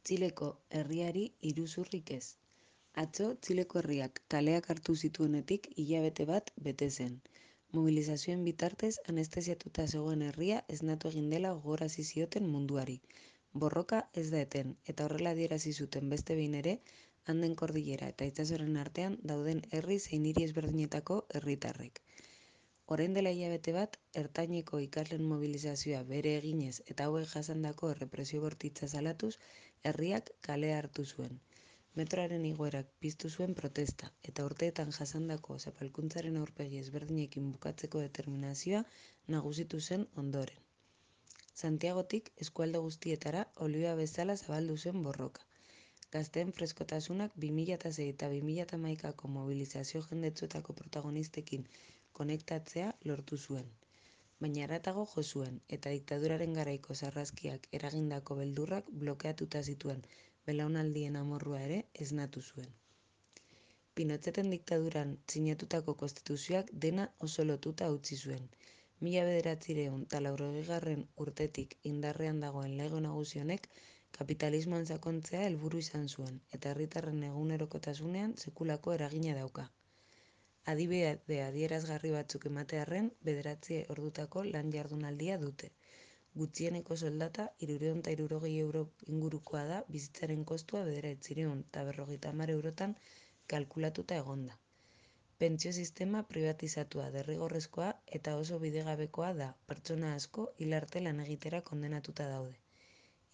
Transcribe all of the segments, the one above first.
Txileko herriari iruzurrik ez. Atzo, Txileko herriak kaleak hartu zituenetik hilabete bat bete zen. Mobilizazioen bitartez anestesiatuta zegoen herria esnatu egin dela gogorarazi zioten munduari. Borroka ez da eten, eta horrela adierazi zuten beste behin ere, Anden kordilera eta itsasoaren artean dauden herri zein hiri ezberdinetako herritarrek. Orain dela hilabete bat, ertaineko ikasleen mobilizazioa bere eginez eta hauek jasandako errepresio bortitza salatuz, herriak kalea hartu zuen. Metroaren igoerak piztu zuen protesta, eta urteetan jasandako zapalkuntzaren aurpegi ezberdinekin bukatzeko determinazioa nagusitu zen ondoren. Santiagotik eskualde guztietara olioa bezala zabaldu zen borroka. Gazteen freskotasunak 2006 eta 2011ko mobilizazio jendetsuetako protagonistekin konektatzea lortu zuen. Baina haratago jo zuen, eta diktaduraren garaiko sarraskiak eragindako beldurrak blokeatuta zituen belaunaldien amorrua ere esnatu zuen. Pinocheten diktaduran sinatutako konstituzioak dena oso lotuta utzi zuen. 1980 urtetik indarrean dagoen lege nagusi honek kapitalismoan sakontzea helburu izan zuen, eta herritarren egunerokotasunean sekulako eragina dauka. Adibide adierazgarri batzuk ematearren, 9 ordutako lan jardunaldia dute. Gutxieneko soldata 360 euro ingurukoa da, bizitzaren kostua 950 eurotan kalkulatuta egonda. Pentsio sistema privatizatua derrigorrezkoa eta oso bidegabekoa da, pertsona asko hil arte lan egitera kondenatuta daude.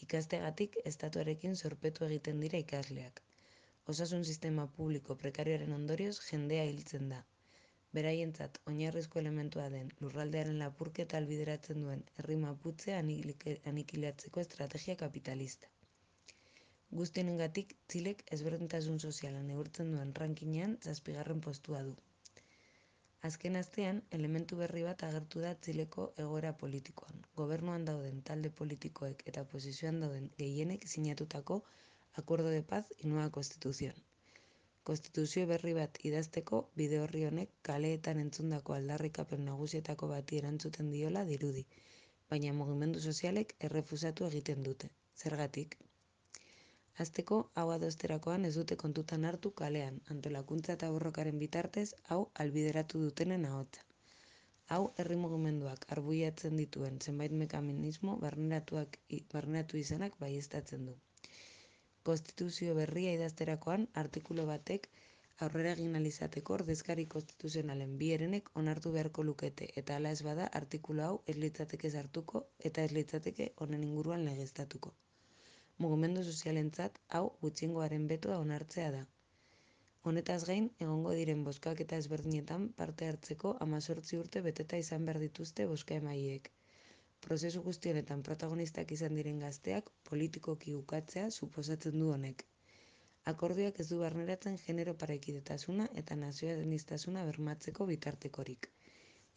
Ikastegatik estatuarekin zorpetu egiten dira ikasleak. Osasun sistema publiko prekarioaren ondorioz jendea hiltzen da. Beraientzat oinarrizko elementua den lurraldearen lapurketa ahalbideratzen duen herri maputzea anikilatzeko estrategia kapitalista. Guzti honengatik, Txilek ezberdintasun soziala neurtzen duen rankingean 7. postua du. Azken astean, elementu berri bat agertu da Txileko egoera politikoan. Gobernuan dauden talde politikoek eta oposizioan dauden gehienek sinatutako Acuerdo de Paz y Nueva Constitución. Konstituzio berri bat idazteko bide horri honek kaleetan entzundako aldarrikapen nagusietako bati erantzuten diola dirudi, baina mugimendu sozialek errefusatu egiten dute. Zergatik? Hasteko, hau adosterakoan ez dute kontutan hartu kalean, antolakuntza eta borrokaren bitartez, hau albideratu dutenen ahotsa. Hau herri mugimenduak arbuiatzen dituen zenbait mekanismo barneratu izanak baieztatzen du. Konstituzio berria idazterakoan, artikulu batek aurrera egin ahal izateko ordezkari konstituzionalen bi herenek onartu beharko lukete, eta hala ez bada artikulu hau ez litzateke sartuko eta ez litzateke honen inguruan legeztatuko. Mugimendu sozialentzat hau gutxiengoaren betoa onartzea da. Honetaz gain, egongo diren bozkaketa ezberdinetan parte hartzeko 18 urte beteta izan behar dituzte bozka-emaileek. Prozesu guzti honetan protagonistak izan diren gazteak politikoki ukatzea suposatzen du honek. Akordioak ez du barneratzen genero parekidetasuna eta nazionalistasuna bermatzeko bitartekorik,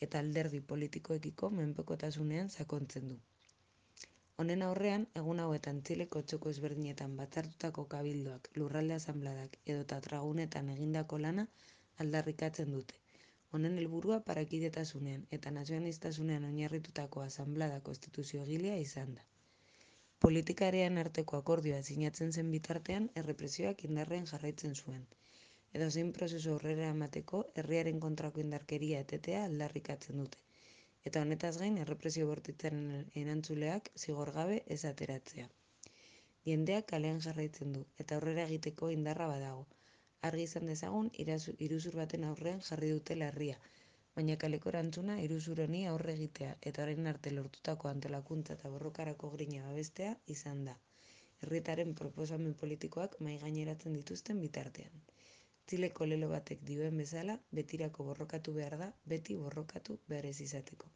eta alderdi politikoekiko menpekotasunean sakontzen du. Honen aurrean, egun hauetan Txileko txoko ezberdinetan batzartutako kabildoak, lurralde asanbladak edota tragunetan egindako lana aldarrikatzen dute. Honen helburua parekidetasunean eta nazionalistasunean oinarritutako asanblada konstituziogilea izan da. Politikarian arteko akordioa sinatzen zen bitartean errepresioak indarrean jarraitzen zuen. Edozein prozesu aurrera emateko herriaren kontrako indarkeria etetea aldarrikatzen dute. Eta honetaz gain errepresio bortitzaren erantzuleak zigor gabe ez ateratzea. Jendeak kalean jarraitzen du eta aurrera egiteko indarra badago. Argi izan dezagun iruzur baten aurrean jarri dutela herria, baina kaleko erantzuna iruzur honi aurre egitea eta orain arte lortutako antolakuntza eta borrokarako grina babestea izan da. Herritarren proposamen politikoak mahaigaineratzen dituzten bitartean. Txileko lelo batek dioen bezala, betirako borrokatu behar da, beti borrokatu behar ez izateko.